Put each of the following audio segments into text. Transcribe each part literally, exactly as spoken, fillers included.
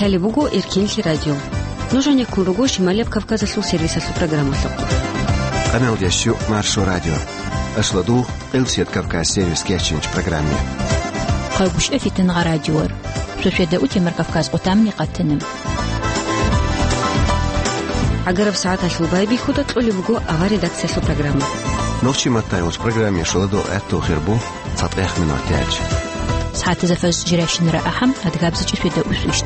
Лъалеб буго Эркинлъи радио. Нуж гӀенеккун руго Шималияб Кавказалъул сервисалъул программалъухъ. Къаналдеш Маршо радио. Ашлу дугъ, Къилсият Кавказ сервис кечинч программе. Хъагушев Фитингъа радиор. Шошеда утемар Кавказ къутамни къатана. ГӀагараб сагӀаталъул байбихьуда кьолеб буго авар редакциялъул программа. Нохчи маттайолч программе шоладо гӀатту хирбу. ЦатӀех минут тяч. СагӀатазда фаз жирашин рагӀахъан, адгабзичӀи шведа усвищ.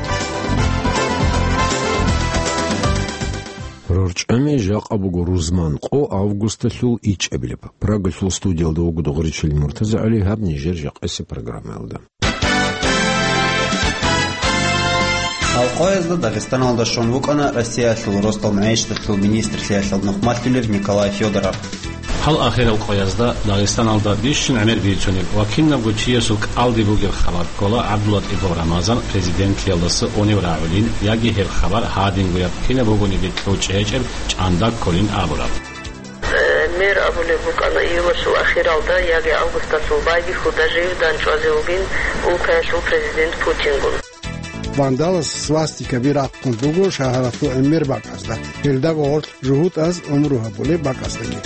РорчӀами жакъа буго рузман къо августалъул ичӀабилеб. Прагалъул студиялда вуго Дугъричил МуртазагӀали, гьаб нижер жакъасеб программаялда. Гьал къоязда Дагъистаналда щун вукӀана Россиялъул росдал магӀишаталъул министрлъиялъул нухмалъулев Николай Федоров. Гьал ахирал къоязда Дагъистаналда бищун гӀемер бицунеб ва кинабго чиясул кӀалди бугеб хабар ккола ГӀабдуллатӀипов Рамазан президентлъиялдаса унев рагӀулин яги гьеб хабар гьадингояб кинаб бугониги кьучӀ гьечӀеб чӀанда кколин абураб. Э, мер абулеб букӀана июлалъул ахиралда яги августалъул байбихьуда жив данчӀвазе вугин улкаялъул президент Путингун. Вандалас свастикаби рахъун буго шагьаралъул гӀемер бакӀазда. Гьелда гъорлъ жугьутӀаз гӀумру гьабулеб бакӀаздаги.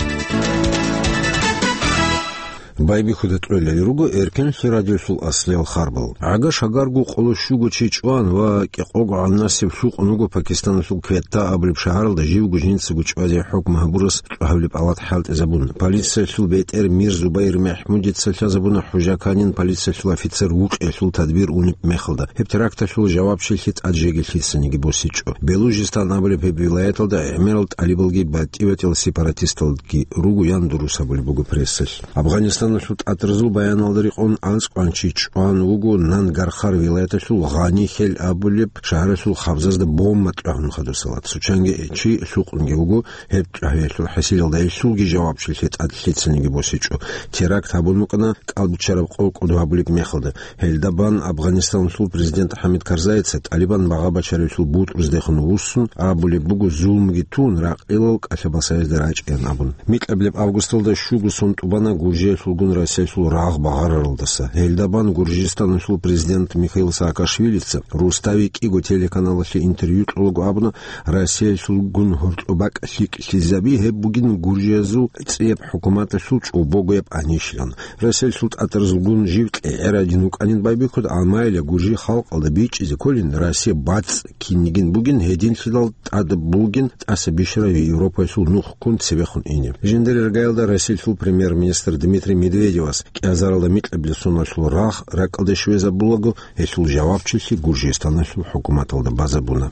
Байбихьуда кьолел руго Эркенлъи радиолъул аслиял харбал. ГӀага-шагарго къоло щуго чи чӀван ва кӀикъого гӀанасеб лъукъун вуго Пакистаналъул Кветта абулеб шагьаралда живго жинцаго чӀвазе хӀукму гьабурас чӀвагьабилеб палат хӀалтӀизабун. Полициялъул бетӀер Мир Зубайр МахӀмудица лъазабуна хӀужаканин полициялъул офицер вукъиялъул тадбир унеб мехалда. Гьеб теракталъул жавабчилъи тӀад жеги лъицаниги босичӀо. Белужистан абулеб гьеб вилаяталда гӀемерал тӀалибалги батӀи-батӀиял сепаратисталги руго, ян дурус абулеб буго прессалъ. Афганистаналъул тӀатӀразул баяналда рекъон анцӀкъван чи чӀван вуго Нангархар вилаяталъул Гъанихел абулеб шагьаралъул хабзазда бомба тӀагьун хадусалат. Цо чанги чи лъукъунги вуго гьеб чӀвагьиялъул хӀасилалда, гьелъулги жавабчилъи тӀад лъицаниги босичӀо. Теракт гьабун букӀана кӀалбиччараб къо кӀодо гьабулеб мехалда. Гьелда бан Афганистаналъул президент ХӀамид Карзайица ТӀалибан багъа бачаревлъул бутӀруздехун вуссун абулеб буго, зулмуги тун, ракъилал кӀалъа-масаязда рачӀеян абун. Микьабилеб августалда щуго сон тӀубана Гуржиялъулгун Россиялъул рагъ багъараралдаса. Гьелда бан Гуржистаналъул президент Михаил Саакашвилица Рустави кӀиго телеканалалъе интервью кьолаго абуна, Россиялъулгун гьоркьоб бакӀ лъикӀлъизаби гьеб бугин гуржиязул цӀияб хӀукуматалъул чӀобогояб анищилан. Россиялъул тӀатӀразулгун жив кьегӀерадин вукӀанин байбихьуда, амма гьеле гуржи халкъалда бичӀчӀизе кколин, Россия бацӀ кинигин бугин, гьединлъидал тӀад бугин тӀаса бищарав Европаялъул нух ккун цебехун ине. Жиндир иргаялда Россиялъул премьер-министр Дмитрий Медведевас кӀиазаралда микьабилеб соналъул рагъ ракӀалде щвезабулаго, гьелъул жавабчилъи Гуржистаналъул хӀукуматалда базабуна.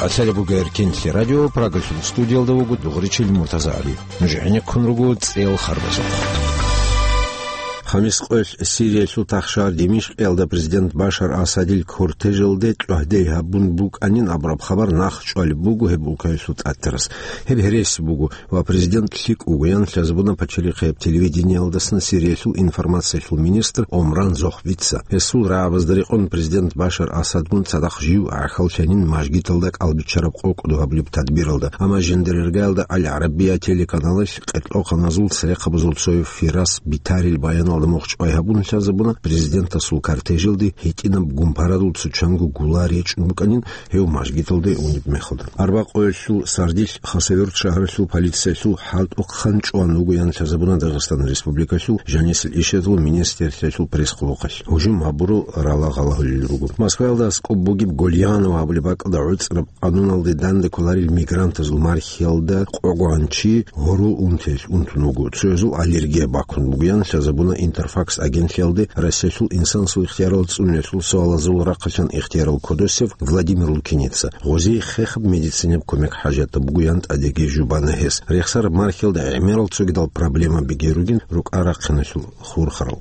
Къасалеб буго Эркинлъи радио, Прагалъул студиялда вуго Дугъричил МуртазагӀали. Нуж гӀенеккун руго цӀел харбазухъ. Хамис къоялъ Сириялъул тахшагьар Димишкъиялда президент Башар Асадил кортежалде чӀвагьде гьабун букӀанин абураб хабар нахъ чӀвалеб буго гьеб улкаялъул тӀатарас. Гьеб гьереси буго ва президент лъикӀ вуго, ян лъазабуна пачалихъияб телевидениялдасан Сириялъул информациялъул министр Омран Зохвица. Гьесул рагӀабазда рекъон президент Башар Асадгун цадахъ жив гӀахьаллъанин мажгиталда кӀалбиччараб къо кӀодо гьабулеб тадбиралда. Амма жиндир иргаялда Аль-ГӀарабия телеканалалъ къеркьохъаназул церехъабазул цояв Фирас Битарил баяналда мухъ чӀвай гьабун лъазабуна президентасул кортежалде гьитӀинаб гумпарадул цо чанго гулар речӀун букӀанин, гьев мажгиталде унеб мехалда. Арба къоялъул сардилъ Хасавюрт шагьаралъул полициялъул хӀалтӀухъан чӀван вуго, ян лъазабуна Дагъистан Республикалъул жанисел ишазул министрлъиялъул пресс-къулухъалъ. Гьужум гьабурал рала гъалагьулел руго. Москваялда аскӀоб бугеб Гольяново гьабулеб бакӀалда гӀуцӀраб къануналде данде кколарел мигрантазул мархиялда къогӀан чи гьорол унтиялъ унтун вуго, цоязул аллергия бакун буго, ян лъазабуна Интерфакс агентлъиялде Россиялъул инсанасул ихтиярал цӀунулелъул суалазул рахъалъан ихтиярал кодосев Владимир Лукиница. Гъозие хехаб медицинаб кумек хӀажатаб буго, ян тӀадеги жубана гьес. Рехсараб мархиялда гӀемерал цогидал проблемабиги ругин, рукӀа-рахъиналъул хурхарал.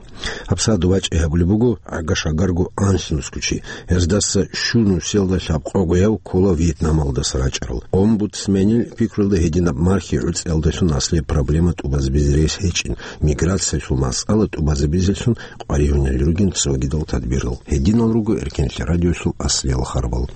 ГьабсагӀат вачӀи гьабулеб буго гӀага-шагарго анлънусго чи. Гьездаса щун нусиялда лъабкъогояв ккола Вьетнамалдаса рачӀарал. Омбудсменил пикруялда гьединаб мархи гӀуцӀиялдалъун аслияб проблема тӀубазабизе рес гьечӀин. Миграциялъул масъала тӀубазабизелъун къваригьунел ругин цогидал тадбирал. Гьединал руго Эркенлъи радиолъул аслиял харбал.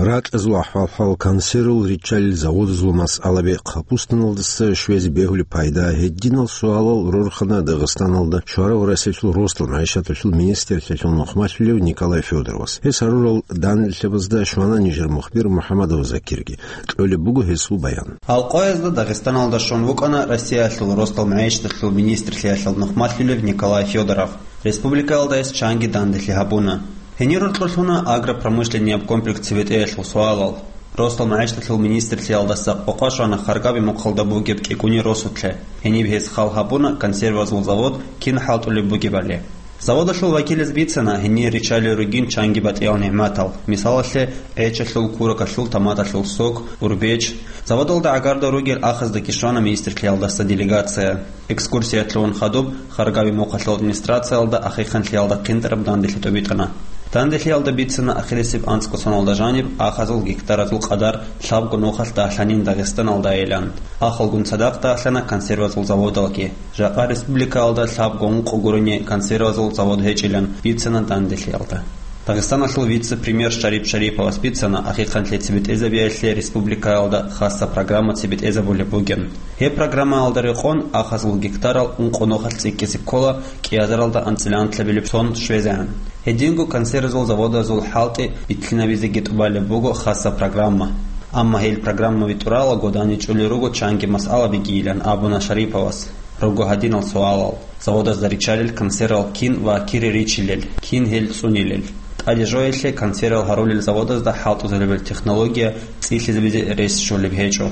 Ракьазул ахӀвал-хӀал, консервал риччалел заводазул масъалаби, Капустаналдаса щвезе бегьулеб пайда, гьединал суалал рорхана Дагъистаналда щварав Россиялъул росдал магӀишаталъул министрлъиялъул нухмалъулев Николай Федоровас. Гьес гьарурал данделъабазда щвана нижер мухбир МухӀамадов Закирги. Кьолеб буго гьесул баян. Гьал къоязда Дагъистаналда щун вукӀана Россиялъул росдал магӀишаталъул министрлъиялъул нухмалъулев Николай Федоров. Республикаялда гьес чанги данделъи гьабуна. Гьенир рокьулъуна агропромышленнияб комплекс цебетӀеялъул суалал. Росдал магӀишаталъул министрлъиялдаса къокъа щвана Харгаби мухъалда бугеб кӀикӀуней росулъе. Гьениб гьес хал гьабуна консервазул завод кин хӀалтӀулеб бугебали. Заводалъул вакилаз бицана гьенир риччалел ругин чанги батӀиял нигӀматал, мисалалъе, гӀечалъул, куракалъул, томаталъул сок, урбеч. Заводалда гӀагарда ругел ахаздаги щвана министрлъиялдаса делегация. Экскурсиялъун хадуб Харгаби мухъалъул администрациялда ахихъанлъиялда хъинтӀараб данделъи тӀубитӀана. Данделъиялда бицана ахирисеб анцӀго соналда жаниб ахазул гектаразул къадар лъабго нухалъ дагьлъанин Дагъистаналдайилан. Ахалгун цадахъ дагьлъана консервазул заводалги. Жакъа республикаялда лъабго ункъо гурони консервазул завод гьечӀилан бицана данделъиялда. Дагъистаналъул вице-премьер Шарип Шариповас бицана ахихъанлъи цебетӀезабиялъе республикаялда хасса программа цебетӀезабулеб бугин. Гьеб программаялда рекъон ахазул гектарал ункъо нухалъ цӀикӀкӀизе ккола кӀиазаралда анцӀила анлъабилеб сон щвезегӀан. Гьединго консервазул заводазул хӀалтӀи битлъинабизеги тӀубалеб буго хасса программа. Амма гьел программаби тӀуралаго данде чӀолел руго чанги масъалабигийилан абуна Шариповас. Руго гьадинал суалал: заводазда риччалел консервал кин ва кире риччилел, кин гьел цӀунилел? ТӀаде жоялъе консервал гьарулел заводазда хӀалтӀизабулеб технология цӀилъизабизе рес щолеб гьечӀо.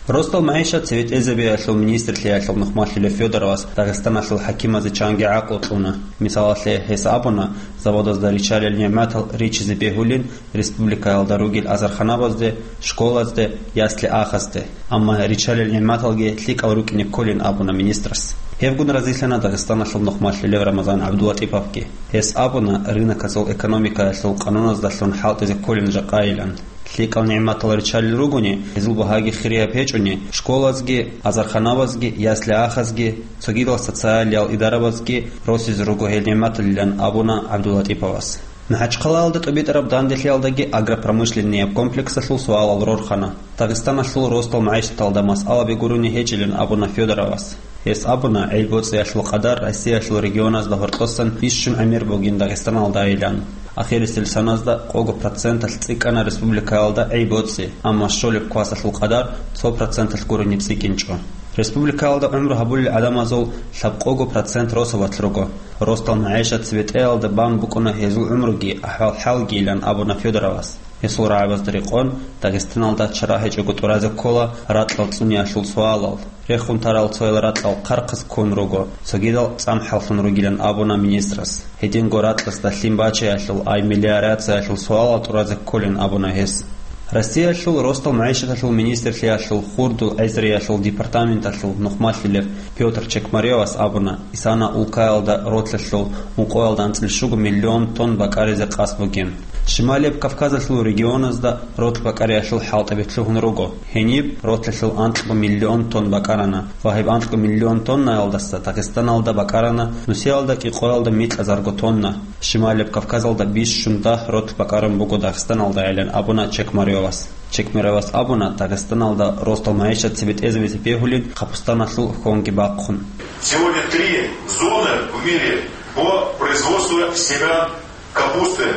Росдал магӀишат цебетӀезабиялъул министрлъиялъул нухмалъулев Федоровас Дагъистаналъул хӀакимазе чанги гӀакълу кьуна. Мисалалъе, гьес абуна, заводазда риччалел нигӀматал риччизе бегьулин республикаялда ругел азарханабазде, школазде, ясли-ахазде. Амма риччалел нигӀматалги лъикӀал рукӀине кколин абуна министрас. Гьебгун разилъана Дагъистаналъул нухмалъулев Рамазан ГӀабдулатӀиповги. Гьес абуна, рыноказул экономикаялъул къануназдалъун хӀалтӀизе кколин жакъайилан. ЛъикӀал нигӀматал риччалел ругони, гьезул багьаги хирияб гьечӀони, школазги, азарханабазги, ясли-ахазги, цогидал социалиял идарабазги росизе руго гьел нигӀматалилан абуна ГӀабдулатӀиповас. МахӀачхъалаялда тӀубитӀараб данделъиялдаги агропромышленнияб комплексалъул суалал рорхана. Дагъистаналъул росдал магӀишаталда масъалаби гурони гьечӀилан абуна Федоровас. Гьес абуна, гӀел-боцӀиялъул къадар Россиялъул регионазда гьоркьосан бищун гӀемер бугин Дагъистаналдайилан. Ахирисел саназда къого проценталъ цӀикӀкӀана республикаялда гӀел-боцӀи, амма щолеб квасалъул къадар цо проценталъ гурони цӀикӀкӀинчӀо. Республикаялда гӀумру гьабулел гӀадамазул лъабкъого процент росабалъ руго. Росдал магӀишат цебетӀеялда бан букӀуна гьезул гӀумруги ахӀвал-хӀалгийилан абуна Федоровас. Гьесул рагӀабазда рекъон, Дагъистаналда чара гьечӀого тӀуразе ккола ракьал цӀуниялъул суалал. Рехун тарал цоял ракьал хъархъаз ккун руго, цогидал цӀамхӀаллъун ругилан абуна министрас. Гьединго ракьасда лъим бачаялъул, ай мелиорациялъул суалал тӀуразе кколин абуна гьес. Россиялъул росдал магӀишаталъул министрлъиялъул хурдул гӀезриялъул департаменталъул нухмалъулев Пётр Чекмаревас абуна, Исана улкаялда ротлъалъул ункъоялда анцӀил щуго миллион тонн бакӀаризе къасд бугин. Шималияб Кавказалъул регионазда ротл бакӀариялъул хӀалтӀаби лъугьун руго. Гьениб ротлъалъул анкьго миллион тонн бакӀарана ва гьеб анкьго миллион тоннаялдаса Дагъистаналда бакӀарана нусиялда кӀикъоялда микьазарго тонна. Шималияб Кавказалда бищун дагь ротл бакӀарун буго Дагъистаналдайилан абуна Чекмаревас. Чекмаревас абуна, Дагъистаналда росдал магӀишат цебетӀезабизе бегьулин Капустаналъул хонги бахъун. Сегодня три зоны в мире по производству семян капусты.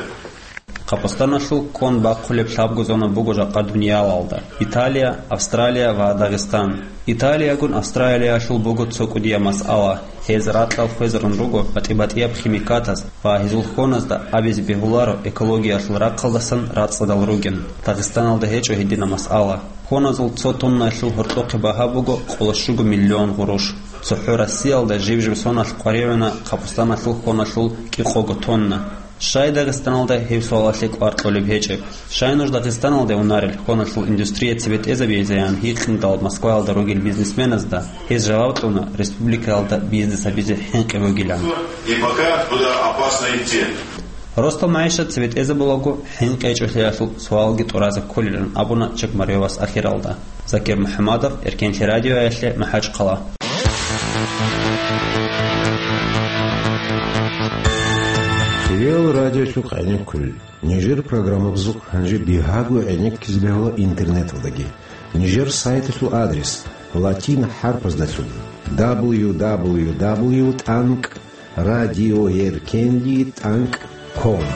Капустаналъул кон бахъулеб лъабго зона буго жакъа дуниялалда: Италия, Австралия ва Дагъистан. Италиягун Австралиялъул буго цо кӀудияб масъала. Гьез ракьал хвезарун руго батӀи-батӀияб химикатаз ва гьезул хоназда абизе бегьуларо экологиялъул рахъалдасан рацӀцӀадал ругин. Дагъистаналда гьечӀо гьединаб масъала. Хоназул цо тоннаялъул гьоркьохъе багьа буго къолощуго миллион гъуруш. ЦохӀо Россиялда жиб-жиб соналъ къваригӀуна Капустаналъул хоналъул кӀикъого тонна. Щай Дагъистаналда гьеб суалалъе кӀвар кьолеб гьечӀеб? Щай нуж Дагъистаналде унарел хоналъул индустрия цебетӀезабизе? Ян гьикъиндал Москваялда ругел бизнесменазда гьез жаваб кьуна, республикаялда бизнес гьабизе хӀинкъи бугилан. И пока туда опасно идти. Ростал магӀишат цебетӀезабулаго хӀинкъи гьечӀолъиялъул суалги тӀуразе кколилан абуна Чекмаревас ахиралда. Закир МухӀамадов, Эркенлъи радиоялъе, МахӀачхъала. Эл радиолъухъ гӀенеккулел. Нижер программабазухъ гьанже бигьаго гӀенеккизе бегьула интернеталдаги. Нижер сайталъул адрес латин хӀарпаздалъун: дабл ю дабл ю дабл ю тӀанкӀ радиоеркенли тӀанкӀ ком.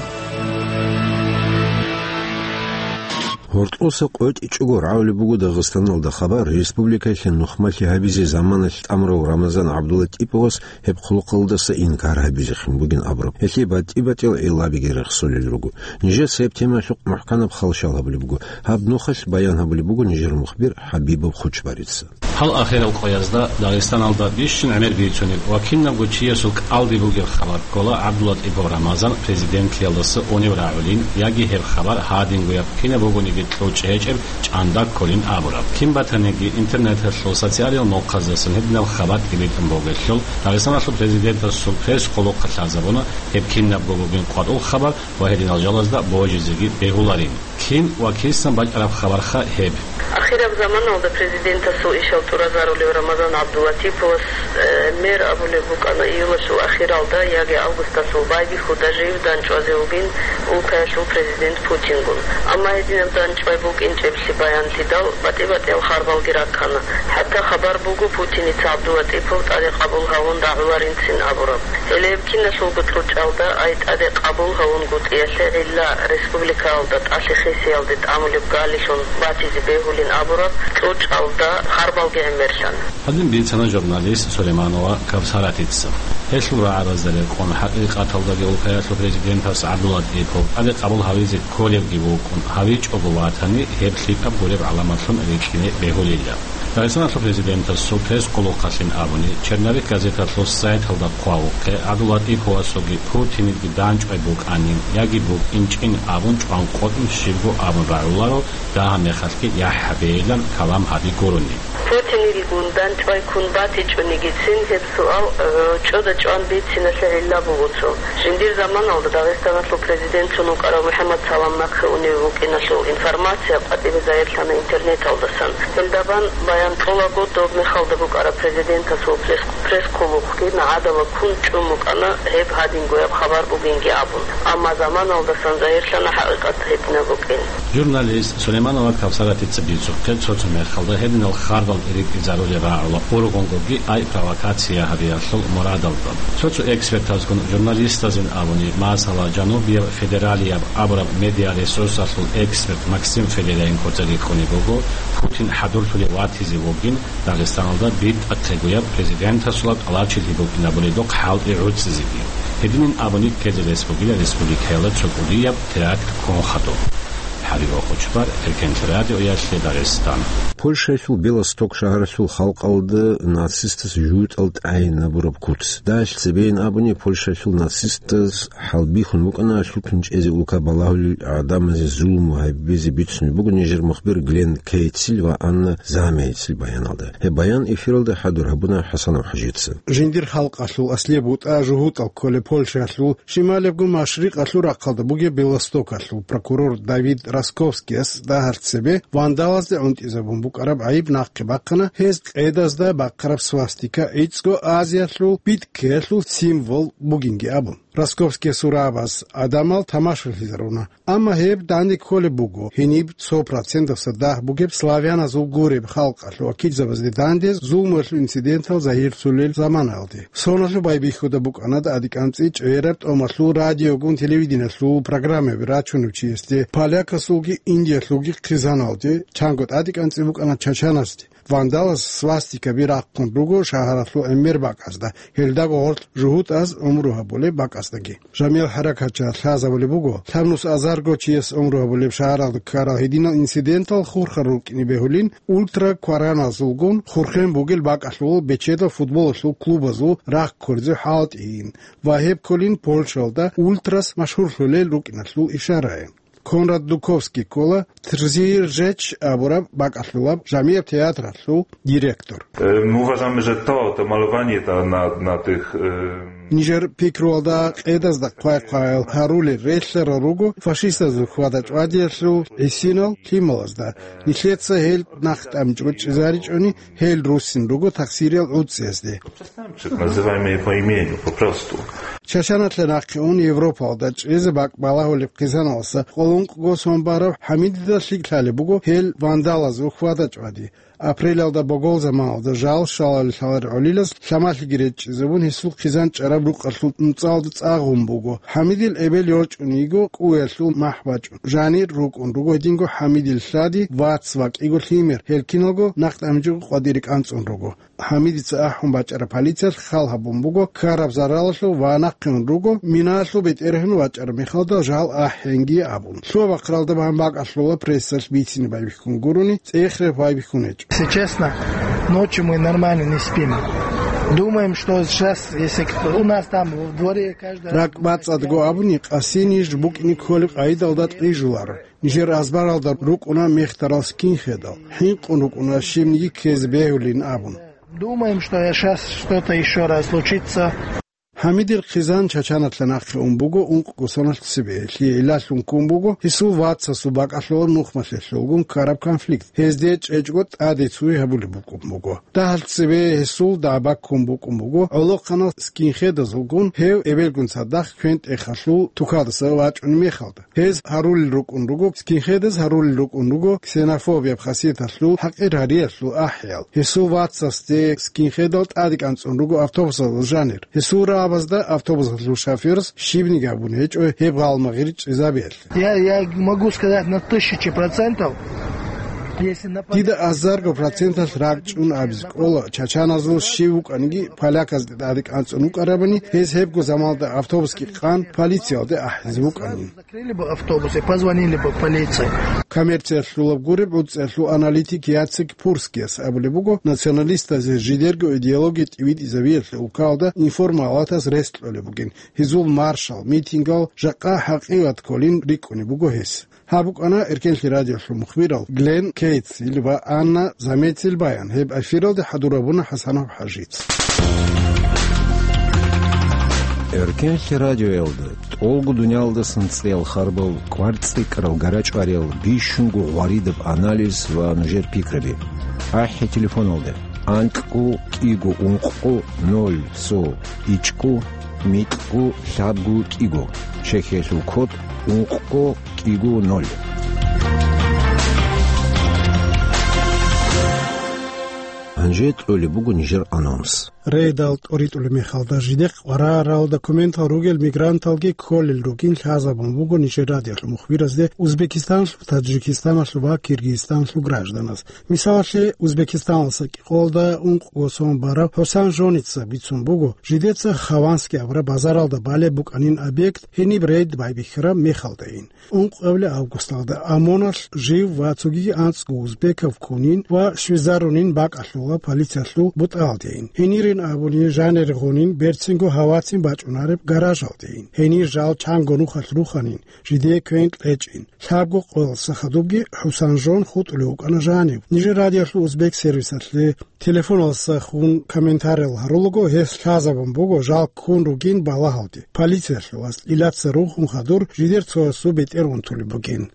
Гьоркьоса къотӀичӀого рагӀулеб буго Дагъистаналда хабар, республикаялъе нухмалъи гьабизе заманалъ тӀамурав Рамазан ГӀабдулатӀиповас гьеб хъулухъалдаса инкар гьабизехъин бугин абураб. Гьелъие батӀи-батӀиял гӀиллабиги рехсолел руго. Нижеца гьеб темаялъухъ мухӀканаб хал-шал гьабулеб буго. Гьаб нухалъ баян гьабулеб буго нижер мухбир ХӀабибов Хучбарица. Гьал ахирал къоязда Дагъистаналда бищун гӀемер бицунеб ва кинабго чиясул кӀалдиб бугеб хабар ккола ГӀабдулатӀипов Рамазан президентлъиялдаса унев рагӀулин яги гьеб хабар гьадингояб кинаб бугониги кьучӀ гьечӀеб чӀанда кколин абураб. Кин батаниги интернеталъул социалил мухъаздасан гьединаб хабар тӀибитӀун бугелъул, Дагъистаналъул президентасул пресс-къулухъалъ лъазабуна гьеб кинабго бугин къватӀул хабар ва гьединал жалазда божизеги бегьуларин. Кин ва кисан бачӀараб хабарха гьеб? Ахираб заманалда президентасул ишал тӀуразарулев Рамазан ГӀабдулатиповас, э, мер абулеб букӀана июлалъул ахиралда яги августалъул байбихьуда жив данчӀвазе вугин улкаялъул президент Путингун. Амма гьединаб данчӀвай букӀинчӀеблъи баянлъидал, батӀи-батӀиял харбалги раккана. ХӀатта хабар буго Путиница ГӀабдулатипов тӀаде къабул гьавун рагӀуларинцин абураб. Гьеле гьеб киналъулго кьучӀалда, ай тӀаде къабул гьавунгутӀиялъе гӀилла республикаялда тӀалъи хисиялде тӀамулеб галилъун батизе бегьулин абураб кьучӀалда харбалги гӀемерлъана. Гьадин бицана журналист Сулейманова Кавсаратица. Гьелъул рагӀабазда рекъон, хӀакъикъаталдаги улкаялъул президентас ГӀабдулатипов тӀаде къабул гьавизе кколевги вукӀун, гьавичӀого ватани, гьеб лъикӀаб гуреб гӀаламатлъун рикӀкӀине бегьулила. Дагъистаналъул президентасул пресс-къулухъалъин абуни, Черновик газеталъул сайталда хъвавухъе, ГӀабдулатиповасулги Путинидги данчӀвай букӀанин яги букӀинчӀин абун чӀван къотӀун щибго абун рагӀуларо, дагьаб мехалъги яхӀ гьабейилан калам гьаби гурони. Путинилгун данчӀвай ккун батичӀонигицин гьеб суал, э, чӀода чӀван бициналъе гӀилла буго цо. Жиндир заманалда Дагъистаналъул президентлъун вукӀарав МухӀаммад Салам нахъе унев вукӀиналъул информация къватӀибе загьирлъана интернеталдасан. Гьелдабан баян кьолаго доб мехалда букӀараб президентасул пресс-, пресс-къулухъги нагӀадала ккун чӀун букӀана гьеб гьадингояб хабар бугинги абун. Амма заманалдасан загьирлъана хӀакъикъат гьединаб букӀин. Журналист Сулейманова Кавсаратица бицухъе, цо-цо мехалда гьединал хардал ритӀизарулел рагӀула ургъунгоги ай провокация гьабиялъул мурадалда. Цо-цо экспертазгун журналистазин абуни, масала, жанубияб федералияб абураб медиаресурсалъул эксперт Максим Федоренкоца рихьунеб буго, Путин хӀадурлъулев ватизе вугин, Дагъистаналда битӀахъегояб президентасула тӀалабчилъи букӀинабуридухъ хӀалтӀи гӀуцӀизеги. Гьединин абуни ккезе рес бугила республикаялда цо кӀудияб теракт ккун хадуб. ХӀабиб Ахъучбар, Эркенлъи радиоялъе Дагъистан. Польшаялъул Белосток шагьаралъул халкъалда нацистас жугьутӀал тӀагӀинабураб куц. Дагьалъ цебейин абуни, Польшаялъул нацистаз хӀалбихьун букӀана лъутун чӀезе улка балагьулел гӀадамазе зулму гьабизе бицунеб буго нижер мухбир Глен Кейтцил ва Анна Замейцил баяналда. Гьеб баян эфиралда хӀадур гьабуна ХӀасанов ХӀажица. Жиндир халкъалъул аслияб бутӀа жугьутӀал кколеб Польшаялъул шималебго машрикъалъул рахъалда бугеб Белостокалъул прокурор Давид Росковскияс дагьалъ цебе вандалазде гӀунтӀизабун букӀараб гӀайиб нахъе бахъана гьез къедазда бахъараб свастика гӀицӀго Азиялъул биткиялъул символ бугинги абун. Росковскиясул рагӀабаз гӀадамал тамашалъизаруна. Амма гьеб данде кколеб буго, гьениб цо проценталъа дагь бугеб славяназул гуреб халкъалъул вакилзабазде данде зулмуялъул инцидентал загьирлъулел заманаялде. Соналъул байбихьуда букӀана тӀадикӀанцӀи чӀегӀераб тӀомалъул радиогун телевидениялъул программаби рачунев чиясде, полякасулги индиялъулги хъизаналде, чанго тӀадикӀанцӀи букӀана чачанасде. Вандалас свастикаби рахъун руго шагьаралъул гӀемер бакӀазда, гьелдаго гъорлъ жугьутӀаз гӀумру гьабулеб бакӀаздаги. Жамиял хӀаракатчияс лъазабулеб буго, лъабнус азарго чияс гӀумру гьабулеб шагьаралда ккарал гьединал инцидентал хурхарал рукӀине бегьулин, ультраквараназулгун хурхен бугел бакӀалъул бечедал футболалъул клубазул рахъ кколезул хӀалтӀийин ва гьеб кколин Польшалда ультрас машгьурлъулел рукӀиналъул ишарайин. Конрад Дуковский ккола Трзир Жеч абураб бакӀалъулаб жамияб театралъул директор. Е, ми уважаме же то, то малованието на, на тих, е, Нижер пикруялда къедазда хъвай-хъваял гьарулел релълъарал руго фашистазул хьвада-чӀвадиялъул гӀисинал лъималазда. Нилъеца гьел нахъ тӀамичӀого чӀезаричӀони, гьел руссин руго тахсириял гӀуцӀиязде. Называемые по имени, попросту. Чачаналъе нахъе ун Европалда чӀезе бакӀ балагьулеб хъизаналъа къоло ункъго сон барав ХӀамидида лъикӀ лъалеб буго гьел вандалазул хьвада-чӀвади. Апрелалда богол заманалда жал щвалалел лъаларел гӀолилаз лъамалъиги речӀчӀизабун, гьесул хъизан чӀараб рукъалъул нуцӀалда цӀа гъун буго. ХӀамидил эбел йорчӀун йиго кӀуялъул махӀ бачӀун, жанир рукӀун руго гьединго ХӀамидил лъади, вац ва кӀиго лъимер, гьел киналго нахъ тӀамичӀого къватӀире кӀанцӀун руго. ХӀамидица ахӀун бачӀараб полициялъ хал гьабун буго ккараб заралалъул ва нахъе ун руго, минаялъул бетӀергьан вачӀараб мехалда жал ахӀенги абун. Лъугьа-бахъаралда бан бакӀалъула прессалъ бицине байбихьун гурони, цӀехреб байбихьун гьечӀо. Если честно, ночью мы нормально не спим. Думаем, что сейчас, если кто, у нас там в дворе каждый раз... РакӀбацӀцӀадго абуни, къаси ниж букӀине кколеб къайдалда кьижуларо. Нижер азбаралда рукӀуна мехтарал скинхедал. ХӀинкъун рукӀуна щибниги ккезе бегьулин абун. Думаем, что я щас что-то ещё раз случится. ХӀамидил хъизан Чачаналъа нахъе ун буго ункъго соналъ цебе. Лъие гӀиллалъун ккун буго гьесул вацасул бакӀалъулаб нухмалъе лъугьун ккараб конфликт. Гьезде чӀечӀого тӀаде цуй гьабулеб букӀун буго. Дагьалъ цебе гьесул дагӀба ккун букӀун буго гӀолохъанал скинхедазулгун, гьев эбелгун цадахъ квен-тӀехалъул тукалдаса вачӀунеб мехалда. Гьез гьарулел рукӀун руго, скинхедаз гьарулел рукӀун руго ксенофобияб хасияталъул, хӀакъир гьариялъул ахӀиял. Гьесул вацасде скинхедал тӀаде кӀанцӀун руго автобусалда жанир. Гьесул рагӀабазда автобусалъул шофёрас щибниги абун гьечӀо гьеб гъалмагъир чӀезабиялъе. Я, я могу сказать на тысячу процентов, если на... Дида азарго проценталъ ракӀчӀун абизе кӀола, чачаназул щив вукӀаниги, поляказде тӀаде кӀанцӀун вукӀарабани, гьез гьебго замалда автобусги къан полициялде ахӀизе вукӀанин. Закрыли бы автобус и позвонили бы полиции. Коммерциялъулаб гуреб гӀуцӀиялъул аналитик Яцек Пурскияс абулеб буго, националистазе жидерго идеология тӀибитӀизабиялъе улкалда информалатас рес кьолеб бугин, гьезул маршал, митингал жакъа хӀакъикъат кколин рикӀкӀунеб буго гьес. Гьаб букӀана Эркенлъи радиолъул мухбирал Глен Кейтсил ва Анна Заметил баян. Гьеб эфиралде хӀадур гьабуна ХӀасанов ХӀажица. Эркенлъи радиоялда тӀолго дуниялдасан цӀеял харбал, кӀвар цӀикӀкӀарал гарачӀвариял, бищунго гъваридаб анализ ва нужер пикраби. АхӀи телефоналда: анкьго кӀиго ункъго ноль цо ичӀго микьго лъабго кӀиго. Чехиялъул код: ункъго кӀиго ноль. Гьанже кьолеб буго нижер анонс. Рейдал тӀоритӀулеб мехалда жидехъ къварарал документал ругел мигранталги кколел ругин лъазабун буго нижер радиолъул мухбиразде Узбекистанлъул, Таджикистаналъул ва Киргизстанлъул гражданаз. Мисалалъе, Узбекистаналдаса кӀикъоялда ункъго сон барав ХӀусан Жоница бицун буго, жидеца Хованский абураб базаралда балеб букӀанин объект гьениб рейд байбихьараб мехалдайин. Ункъабилеб августалда ОМОНалъ жив ва цогиги анцӀго узбекав ккунин ва щвезарунин бакӀалъула полициялъул бутӀалдейин. Гьенирин абуни жанир гъунин берцинго гьавацин бачӀунареб гаражалдейин. Гьенир жал чанго нухалъ руханин, жидее квен кьечӀин. Лъабго къоялдаса хадубги ХӀусан Жон хутӀулев вукӀана жанив. Нижер радиолъул узбек сервисалъе телефоналдаса хун комментариял гьарулаго, гьес лъазабун буго жал ккун ругин балагьалде. Полициялъул аскӀилаца рухун хадур жидер цоясул бетӀер унтулеб бугин.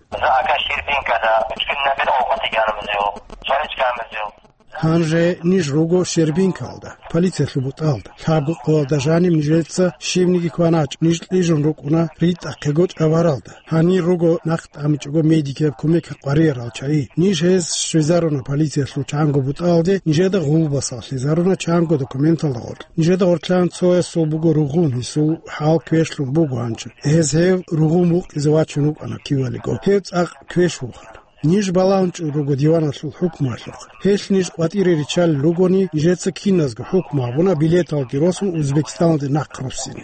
Гьанже ниж руго Щербинкалда, полициялъул бутӀалда. Лъабго къоялда жаниб нижеца щибниги кваначӀ, ниж кьижун рукӀуна ритӀахъего чӀабаралда. Гьанир руго нахъ тӀамичӀого медикияб кумек гьакъариял чагӀи. Ниж гьез щвезаруна полициялъул чанго бутӀалде, нижеда гъулбасал лъезаруна чанго документалда гъоркь. Нижеда гъоркьан цоясул буго ругъун, гьесул хӀал квешлъун буго гьанчо. Гьез гьев ругъун вукъизе вачун вукӀана кивалиго. Гьев цӀакъ квеш вухар. Ниж балагьун чӀун руго диваналъул хӀукмуялъухъ. Гьелъ ниж къватӀире риччалел ругони, нижеца киназго хӀукму гьабуна билеталги росун Узбекистаналде нахъ руссине.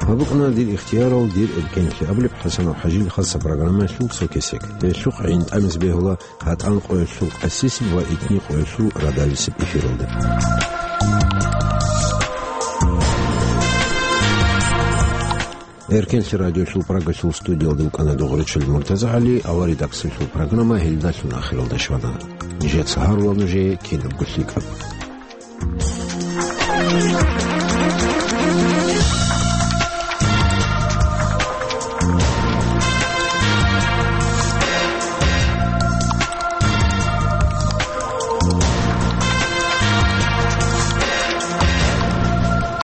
Гьаб букӀана «Дир ихтиярал, дир эркенлъи» абулеб ХӀасанов ХӀажил хасаб программаялъул цо кесек. Гьелъухъ гӀин тӀамизе бегьула гьатӀан къоялъул къасисеб ва итни къоялъул радависеб эфиралда. Эркенлъи радиолъул Прагалъул студиялда вукӀана дугъричӀел МуртазагӀали, ва редакциялъул программа гьелдалъун ахиралда щвана. Нижеца гьарула нужее кинабго лъикӀаб.